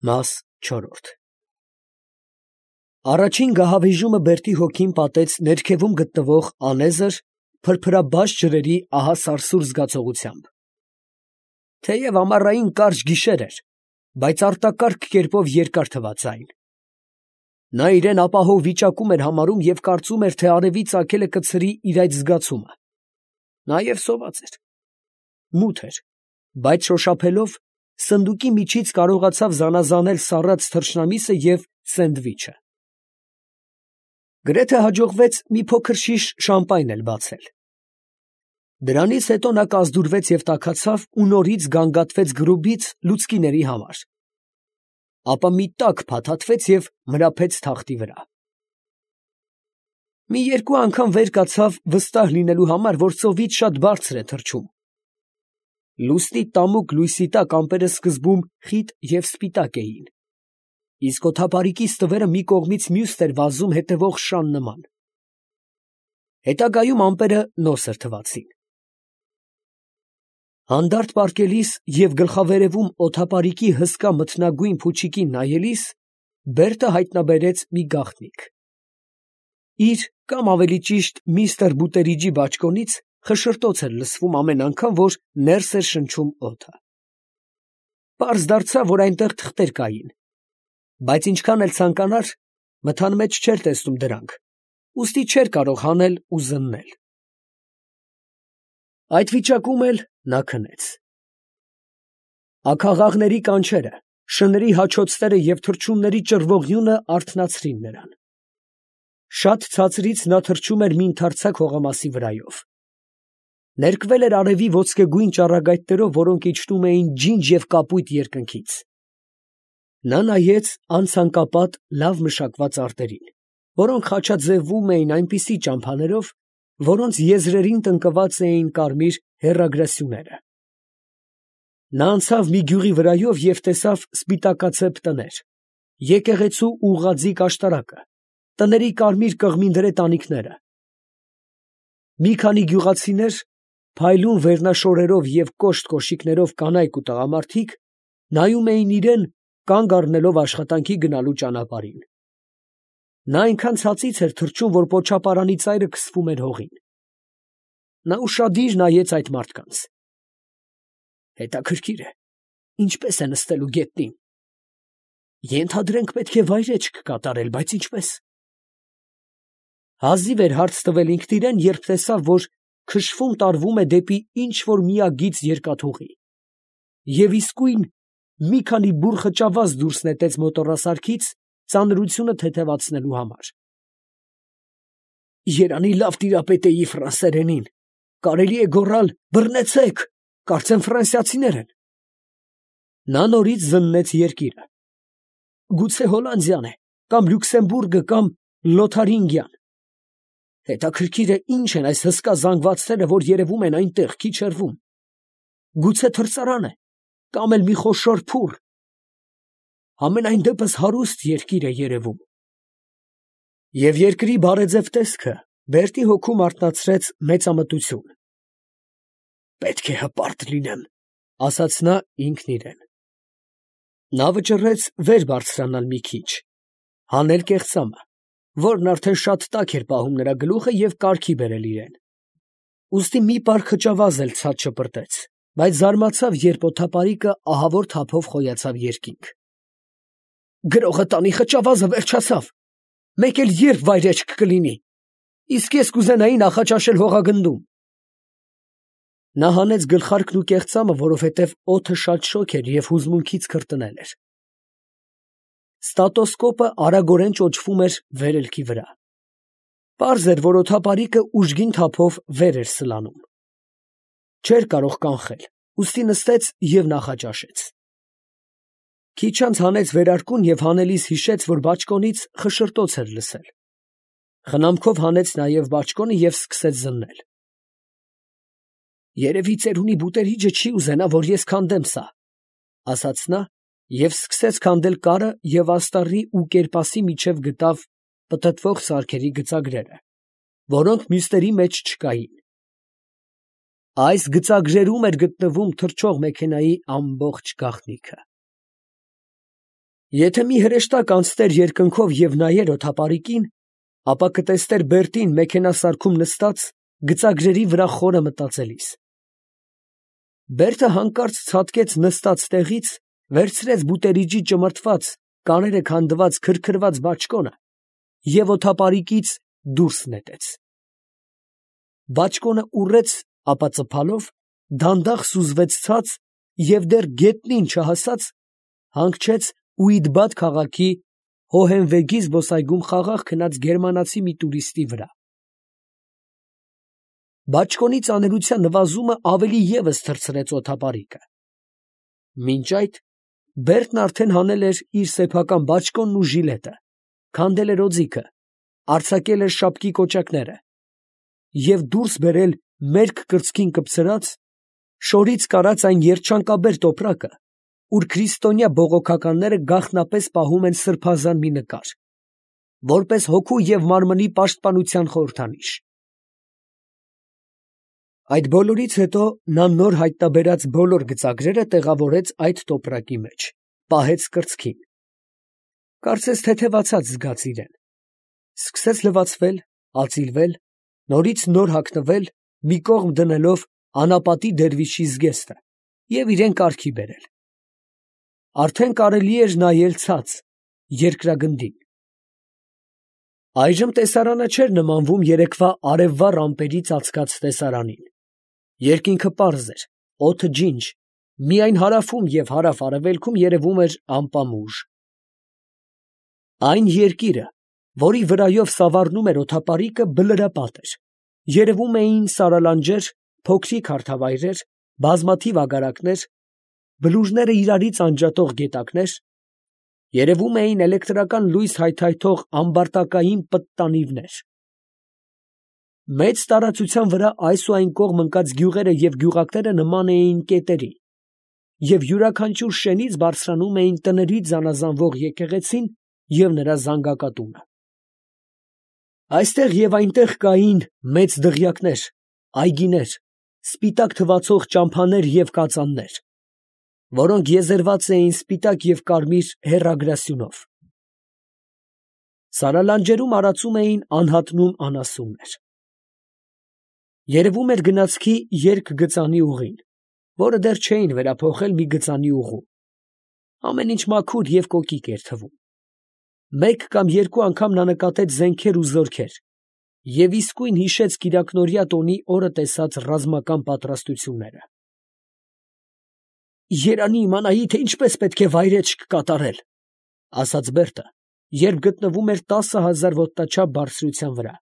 Մաս 4 Առաջին գահավիժումը Բերտի հոգին պատեց ներքևում գտնվող անեզր, փրփրաբաց ջրերի ահա սարսուռ զգացողությամբ. թեև ամառային կարճ գիշեր էր, բայց արտակարգ կերպով երկար թվաց այն. նա իրեն ապահով վիճակում էր համարում և կարծում էր, թե արևի ծագելը կցրի իր այդ զգացումը. նաև սոված էր, մութ էր, բայց շոշափելով սնդուկի միջից կարողացավ զանազանել սառած թռչնամիսը և սենդվիչը։ Գրեթե հաջողվեց մի փոքր շիշ շամպայն էլ բացել։ Դրանից հետո նա կազդուրվեց և տաքացավ ու նորից գանգատվեց գրուբից լուցկիների համար, ապա մի տաք փաթաթվեց և մրափեց թախտի վրա։ Մի երկու անգամ վեր կացավ վստահ լինելու համար, որ ծովից շատ բարձր է թռչում։ Լուսնի տամուկ լույսի տակ ամպերը սկզբում խիտ և սպիտակ էին, իսկ օդապարիկի ստվերը մի կողմից մյուսն էր վազում հետևող շան նման։ Հետագայում ամպերը նոսր թվացին։ Հանդարտ պառկելիս և գլխավերևում օդապարիկի հսկա մթնագույն փուչիկին նայելիս, Բերտը հայտնաբերեց մի գաղտնիք։ Իր, կամ ավելի ճիշտ միստր Բուտերիջի բաճկոնից խշշրտոց էր լսվում ամեն անգամ, որ ներս էր շնչում օդը։ Պարզ դարձավ, որ այնտեղ թղթեր կային, բայց ինչքան էլ ցանկանար, մթան մեջ չէր տեսնում դրանք, ուստի չէր կարող հանել ու զննել։ Այդ վիճակում էլ նա քնեց։ Աքաղաղների կանչերը, շների հաչոցները և թռչունների ճռվողյունը արթնացրին նրան։ Շատ ցածրից նա թռչում էր մի ընդարձակ հողամասի վրայով։ Ներկվել էր արևի ոսկեգույն ճառագայթներով, որոնք իջնում էին ջինջ և կապույտ երկնքից։ Նա նայեց անցանկապատ լավ մշակված արտերին, որոնք խաչաձևվում էին այնպիսի ճամփաներով, որոնց եզրերին տնկված էին կարմիր հեռագրասյուները։ Նա անցավ մի գյուղի վրայով և տեսավ սպիտակացեպ տներ, եկեղեցու ուղղաձիգ աշտարակը, տների կարմիր կղմինդրե տանիքները։ Մի քանի գյուղացիներ, փայլուն վերնաշորերով և կոշտ կոշիկներով կանայք ու տղամարդիկ, նայում էին իրան, կանգ առնելով աշխատանքի գնալու ճանապարհին։ Նա այնքան ցածից էր թռչում, որ պոչապարանի ծայրը քսվում էր հողին։ Նա ուշադիր նայեց այդ մարդկանց։ Հետաքրքիր է, ինչպես է նստելու գետնին։ Ենթադրենք պետք է վայրէջք կատարել, բայց ինչպե՞ս։ Հազիվ էր հարց տվել ինքն իրան, երբ տեսավ, որ քշվում տարվում է դեպի ինչ֊որ միագիծ երկաթուղի, և իսկույն մի քանի բուռ խճավազ դուրս նետեց մոտոռասարքից ծանրությունը թեթևացնելու համար։ Երանի լավ տիրապետ էի ֆրանսերենին, կարելի է գոռալ բռնեցե՛ք, կարծեմ ֆրանսիացիներ են։ Նա նորից զննեց երկիրը։ Գուցե Հոլանդիան է, կամ Լյուքսեմբուրգը, կամ Լոթարինգիան։ Հետաքրքիր է, ինչ են այս հսկա զանգվածները, որ երևում են այնտեղ, քիչ հեռվում։ Գուցե թռծարան է, կամ էլ մի խոշոր փուռ։ Համենայն դեպս հարուստ երկիր է երևում։ Եվ երկրի բարեձև տեսքը Բերտի հոգում արթնացրեց մեծամտություն։ Պետք է հպարտ լինեմ, ասաց նա ինքն իրան։ Նա վճռեց վեր բարձրանալ մի քիչ, հանել կեղծամը, որն արդեն շատ տաք էր պահում նրա գլուխը, և կարգի բերել իրան։ Ուստի մի պար խճավազ էլ ցած շպրտեց, բայց զարմացավ, երբ օդապարիկը ահավոր թափով խոյացավ երկինք։ Գրողը տանի խճավազը վերջացավ, մեկ էլ ե՞րբ վայրէջք կլինի, իսկ ես կուզենայի նախաճաշել հողագնդում։ Նա հանեց գլխարկն ու կեղծամը, որովհետև օդը շատ շոգ էր և հուզմունքից քրտնել էր։ Ստատոսկոպը արագորեն ճոճվում էր վերելքի վրա։ Պարզ էր, որ օդապարիկը ուժգին թափով վեր էր սլանում։ Չէր կարող կանխել, ուստի նստեց և նախաճաշեց։ Քիչ անց հանեց վերարկուն և հանելիս հիշեց, որ բաճկոնից խշշրտոց էր լսել։ Խնամքով հանեց նաև բաճկոնը և սկսեց զննել։ Երևի ծերունի Բուտերիջը չի ուզենա, որ ես քանդեմ սա, ասաց նա և սկսեց քանդել կարը և աստառի ու կերպասի միջև գտավ պտտվող սարքերի գծագրերը, որոնք մյուսների մեջ չկային։ Այս գծագրերում էր գտնվում թռչող մեքենայի ամբողջ գաղտնիքը։ Եթե մի հրեշտակ անցներ երկնքով և նայեր օդապարիկին, ապա կտեսներ Բերտին մեքենասարքում նստած, գծագրերի վրա խորը մտածելիս։ Բերտը հանկարծ ցատկեց նստած տեղից, վերցրեց բուտերիջի ճմրթված, կաները քանդված քրքրված բաճկոնը և օդապարիկից դուրս նետեց։ Բաճկոնը ուռեց, ապա ծփալով դանդաղ սուզվեց ցած և դեռ գետնին չհասած հանգչեց Ուիդբադ քաղաքի Հոհենվեգի զբոսայգում խաղաղ քնած գերմանացի մի տուրիստի վրա։ Բաճկոնի ծանրության նվազումը ավելի ևս թռցրեց օդապարիկը։ Մինչ այդ Բերտն արդեն հանել էր իր սեփական բաճկոնն ու ժիլետը, քանդել էր օձիքը, արձակել էր շապկի կոճակները և դուրս բերել մերկ կրծքին կպցրած, շորից կարած այն երջանկաբեր տոպրակը, ուր քրիստոնյա բողոքականները գաղտնապես պահում են սրբազան մի նկար, որպես հոգու և մարմնի պաշտպանության խորհրդանիշ։ Այդ բոլորից հետո նա նոր հայտնաբերած բոլոր գծագրերը տեղավորեց այդ տոպրակի մեջ, պահեց կրծքին։ Կարծես թեթևացած զգաց իրեն, սկսեց լվացվել, ածիլվել, նորից նոր հագնվել, մի կողմ դնելով անապատի դերվիշի զգեստը և իրեն կարգի բերել։ Արդեն կարելի էր նայել ցած, երկրագնդին։ Այժմ տեսարանը չէր նմանվում երեկվա արևվա ամպերի ծածկած տեսարանին։ Երկինքը պարզ էր, օդը ջինջ, միայն հարավում և հարավ֊արևելքում երևում էր ամպամուժ։ Այն երկիրը, որի վրայով սավառնում էր օդապարիկը, բլրապատ էր, երևում էին սարալանջեր, փոքրիկ հարթավայրեր, բազմաթիվ ագարակներ, բլուրները իրարից անջատող գետակներ, երևում էին էլեկտրական լույս հայթայթող ամբարտակային պտտանիվներ։ Մեծ տարածության վրա այս ու այն կողմ ընկած գյուղերը և գյուղակները նման էին կետերի, և յուրաքանչյուր շենից բարձրանում էին տներից զանազանվող եկեղեցին և նրա զանգակատունը։ Այստեղ և այնտեղ կային մեծ դղյակներ, այգիներ, սպիտակ թվացող ճամփաներ և կածաններ, որոնք եզերված էին սպիտակ և կարմիր հեռագրասյունով։ Սարալանջերում արածում էին անհատնում անասուններ։ Երևում էր գնացքի երկգծանի ուղին, որը դեռ չէին վերափոխել մի գծանի ուղու։ Ամեն ինչ մաքուր և կոկիկ էր թվում։ Մեկ կամ երկու անգամ նա նկատեց զենքեր ու զորքեր և իսկույն հիշեց կիրակնօրյա տոնի օրը տեսած ռազմական պատրաստությունները։ «Երանի իմանայի, թե ինչպես պետք է վայրէջք կատարել, ֊ ասաց Բերտը, երբ գտնվում էր 10,000 ոտնաչափ բարձրության վրա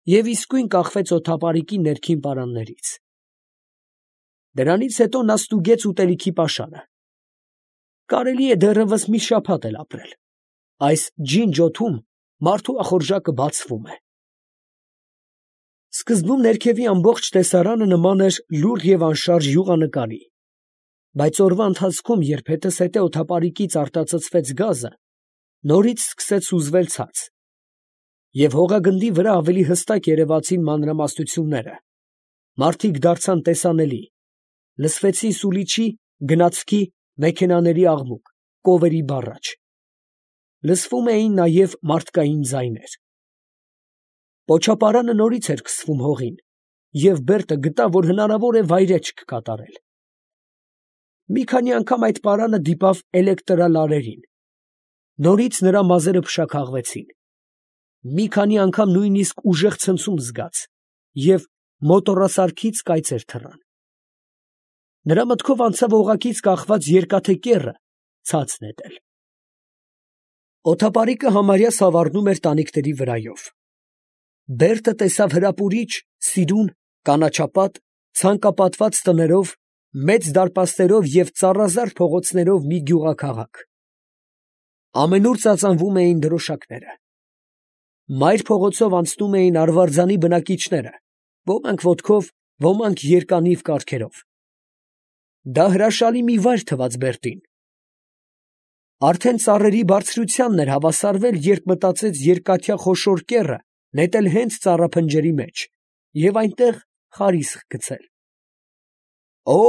և իսկույն կախվեց օդապարիկի ներքին պարաններից։ Դրանից հետո նա ստուգեց ուտելիքի պաշարը։ Կարելի է դեռևս մի շաբաթ էլ ապրել։ Այս ջինջ օդում մարդու ախորժակը բացվում է»։ Սկզբում ներքևի ամբողջ տեսարանը նման էր լուռ և անշարժ յուղանկարի, բայց օրվա ընթացքում, երբ հետզհետե օդապարիկից արտածծվեց գազը, նորից սկսեց սուզվել ցած, և հողագնդի վրա ավելի հստակ երևացին մանրամասնությունները, մարդիկ դարձան տեսանելի, լսվեցին սուլիչի, գնացքի, մեքենաների աղմուկ, կովերի բառաչ։ Լսվում էին նաև մարդկային ձայներ։ Պոչապարանը նորից էր քսվում հողին, և Բերտը գտավ, որ հնարավոր է վայրէջք կատարել։ Մի քանի անգամ այդ պարանը դիպավ էլեկտրալարերին։ Նորից նրա մազերը փշաքաղվեցին։ Մի քանի անգամ նույնիսկ ուժեղ ցնցում զգաց և մոտոռասարքից կայծեր թռան։ Նրա մտքով անցավ օղակից կախված երկաթե կեռը ցած նետել։ Օդապարիկը համարյա սավառնում էր տանիքների վրայով։ Բերտը տեսավ հրապուրիչ, սիրուն, կանաչապատ, ցանկապատված տներով, մեծ դարպասներով և ծառազարդ փողոցներով մի գյուղաքաղաք։ Ամենուր ծածանվում էին դրոշակները։ Մայր փողոցով անցնում էին արվարձանի բնակիչները, ոմանք ոտքով, ոմանք երկանիվ կառքերով։ Դա հրաշալի մի վայր թվաց Բերտին։ Արդեն ծառերի բարձրությանն էր հավասարվել, երբ մտածեց երկաթյա խոշոր կեռը նետել հենց ծառափնջերի մեջ և այնտեղ խարիսկ գցել։ Օ՜,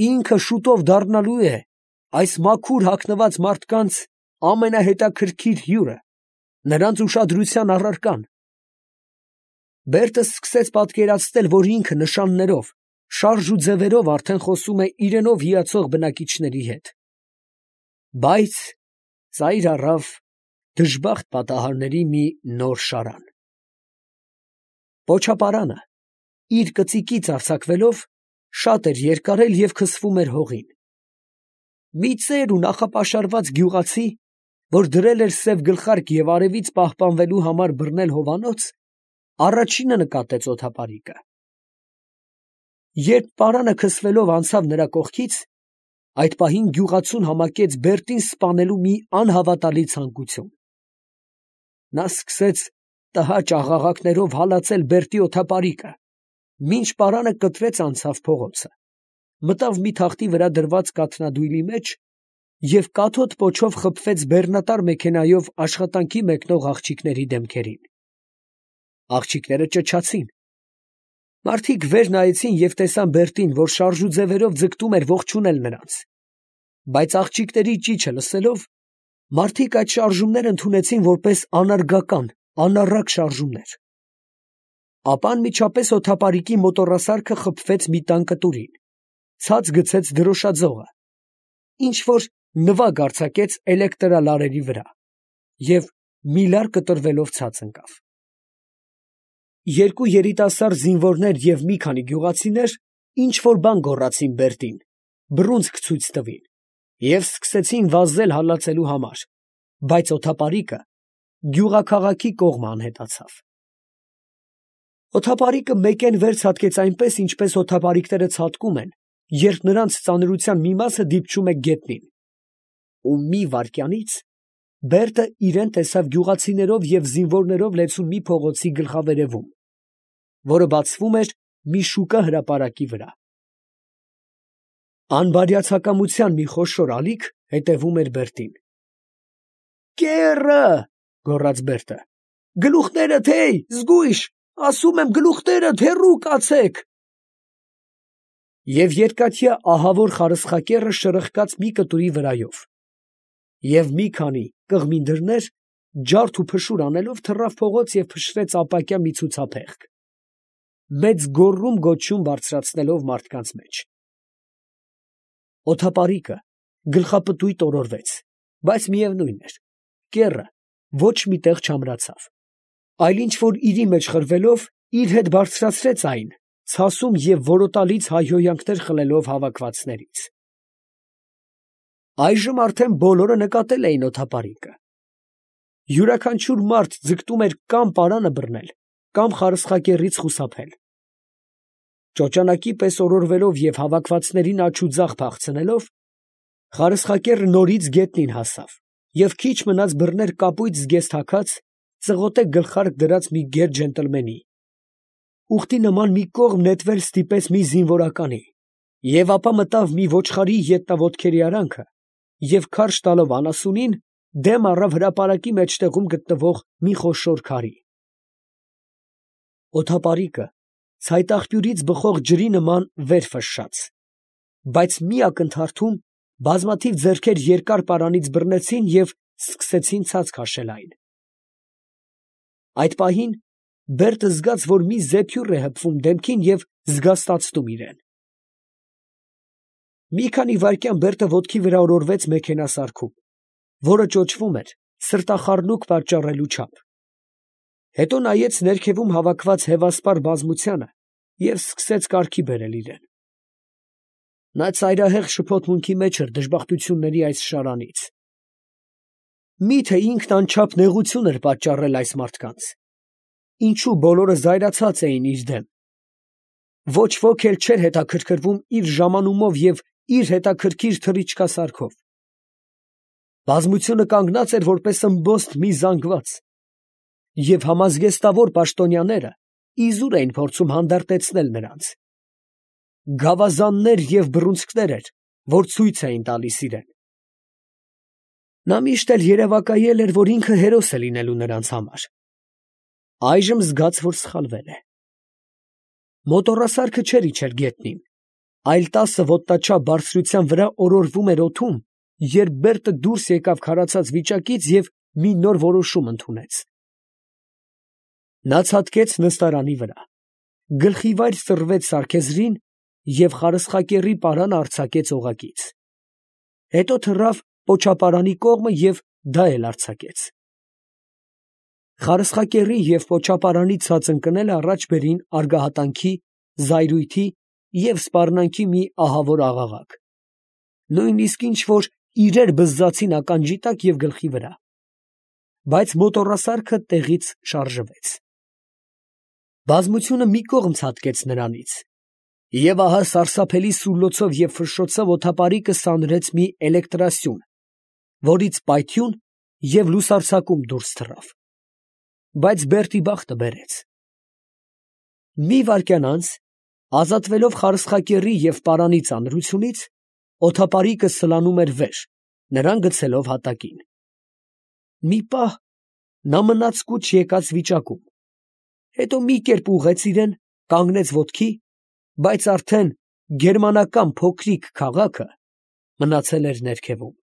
ինքը շուտով դառնալու է այս մաքուր հագնված մարդկանց ամենահետաքրքիր հյուրը, նրանց ուշադրության առարկան։ Բերտը սկսեց պատկերացնել, որ ինքը նշաններով, շարժ ու ձևերով արդեն խոսում է իրենով հիացող բնակիչների հետ։ Բայց ծայր առավ դժբախտ պատահարների մի նոր շարան։ Պոչապարանը, իր կծիկից արձակվելով, շատ էր երկարել և քսվում էր հողին։ Մի ծեր ու նախապաշարված գյուղացի, որ դրել էր սև գլխարկ և արևից պահպանվելու համար բռնել հովանոց, առաջինը նկատեց օդապարիկը։ Երբ պարանը քսվելով անցավ նրա կողքից, այդ պահին գյուղացուն համակեց Բերտին սպանելու մի անհավատալի ցանկություն։ Նա սկսեց տհաճ աղաղակներով հալածել Բերտի օդապարիկը, մինչ պարանը կտրեց անցավ փողոցը, մտավ մի թախտի վրա դրված կաթնադույլի մեջ և կաթոտ պոչով խփվեց բեռնատար մեքենայով աշխատանքի մեկնող աղջիկների դեմքերին։ Աղջիկները ճչացին։ Մարդիկ վեր նայեցին և տեսան Բերտին, որ շարժուձևերով ձգտում էր ողջունել նրանց։ Բայց աղջիկների ճիչը լսելով, մարդիկ այդ շարժումները ընդունեցին որպես անարգական, անառակ շարժումներ։ Ապա անմիջապես օդապարիկի մոտոռասարքը խփվեց մի տան կտուրին, ցած գցեց դրոշաձողը, ինչ-որ նվագ արձակեց էլեկտրալարերի վրա և միլար կտրվելով ցած ընկավ։ Երկու երիտասարդ զինվորներ և մի քանի գյուղացիներ ինչ-որ բան գոռացին Բերտին, բռունցք ցույց տվին և սկսեցին վազել հալածելու համար, բայց օդապարիկը գյուղաքաղաքի կողմը անհետացավ։ Օդապարիկը մեկեն վեր ցատկեց այնպես, ինչպես օդապարիկները ցատկում են, երբ նրանց ծանրության մի մասը դիպչում է գետնին, ու մի վայրկյանից Բերտը իրեն տեսավ գյուղացիներով և զինվորներով լեցուն մի փողոցի գլխավերևում, որը բացվում էր մի շուկա հրապարակի վրա։ Անբարյացակամության մի խոշոր ալիք հետևում էր Բերտին։ «Կեռը!» գոռաց Բերտը։ «Գլուխներդ, հեյ, զգույշ, ասում եմ, գլուխներդ հեռու կացեք»։ Եվ երկաթյա ահավոր խարսխակեռը շրխկաց մի կտուրի վրայով, և մի քանի կղմի դռներ, ջարդ ու փշուր անելով, թռավ փողոց և փշրեց ապակյա մի ցուցափեղկ, մեծ գոռում֊գոչյուն բարձրացնելով մարդկանց մեջ։ Օդապարիկը գլխապտույտ օրորվեց, բայց միևնույն էր, կեռը ոչ մի տեղ չամրացավ, այլ ինչ֊որ իրի մեջ խրվելով, իր հետ բարձրացրեց այն, ցասում և որոտալից հայհոյանքներ խլելով հավաքվածներից։ Այժմ արդեն բոլորը նկատել էին օդապարիկը։ Յուրաքանչյուր մարդ ձգտում էր կամ պարանը բռնել, կամ խարսխակեռից խուսափել։ Ճոճանակի պես օրորվելով և հավաքվածներին աջ ու ձախ փախցնելով, խարսխակեռը նորից գետնին հասավ և քիչ մնաց բռներ կապույտ զգեստ հագած, ծղոտե գլխարկ դրած մի գեր ջենտլմենի, ուղտի նման մի կողմ նետվել ստիպեց մի զինվորականի և ապա մտավ մի ոչխարի ետնաոտքերի արանքը և քարշ տալով անասունին, դեմ առավ հրապարակի մեջտեղում գտնվող մի խոշոր քարի։ Օդապարիկը ցայտաղբյուրից բխող ջրի նման վեր ֆշշաց, բայց մի ակնթարթում բազմաթիվ ձեռքեր երկար պարանից բռնեցին և սկսեցին ցած քաշել այն։ Այդ պահին Բերտը զգաց, որ մի զեփյուռ է հպվում դեմքին և զգաստացնում իրան։ Մի քանի վայրկյան Բերտը ոտքի վրա օրորվեց մեքենասարքում, որը ճոճվում էր սրտախառնուրդ պատճառելու չափ։ Հետո նայեց ներքևում հավաքված հևասպար բազմությանը և սկսեց կարգի բերել իրան։ Նա ծայրահեղ շփոթմունքի մեջ էր դժբախտությունների այս շարանից։ Մի՞թե ինքն անչափ նեղություն էր պատճառել այս մարդկանց։ Ինչո՞ւ բոլորը զայրացած էին իր դեմ։ Ոչ ոք էլ չէր հետաքրքրվում իր ժամանումով և իր հետաքրքիր թռիչքասարքով։ Բազմությունը կանգնած էր որպես ըմբոստ մի զանգված, և համազգեստավոր պաշտոնյաները իզուր էին փորձում հանդարտեցնել նրանց։ Գավազաններ և բռունցքներ էր, որ ցույց էին տալիս իրան։ Նա միշտ էլ երևակայել էր, որ ինքը հերոս է լինելու նրանց համար։ Այժմ զգաց, որ սխալվել է։ Մոտոռասարքը չէր իջել գետնին, այլ 10 ոտնաչափ բարձրության վրա օրորվում էր օդում երբ Բերտը դուրս եկավ քարացած վիճակից և մի նոր որոշում ընդունեց։ Նա ցատկեց նստարանի վրա, գլխիվայր սռվեց սարքեզրին և խարսխակեռի պարանը արձակեց օղակից։ Հետո թռավ պոչապարանի կողմը և դա էլ արձակեց։ Խարսխակեռի և պոչապարանի ցած ընկնելը առաջ բերին արգահատանքի, զայրույթի և սպառնալիքի մի ահավոր աղաղակ, նույնիսկ ինչ֊որ իրեր բզզացին ականջի տակ և գլխի վրա, բայց մոտոռասարքը տեղից շարժվեց։ Բազմությունը մի կողմ ցատկեց նրանից, և ահա սարսափելի սուլոցով և ֆշշոցով օդապարիկը սանրեց մի էլեկտրասյուն, որից պայթյուն և լուսարձակում դուրս թռավ, բայց Բերտի բախտը բերեց։ Մի վայրկյան անց, ազատվելով խարսխակեռի և պարանի ծանրությունից, օդապարիկը սլանում էր վեր, նրան գցելով հատակին։ Մի պահ նա մնաց կուչ եկած վիճակում, հետո մի կերպ ուղղեց իրան, կանգնեց ոտքի, բայց արդեն գերմանական փոքրիկ քաղաքը մնացել էր ներքևում։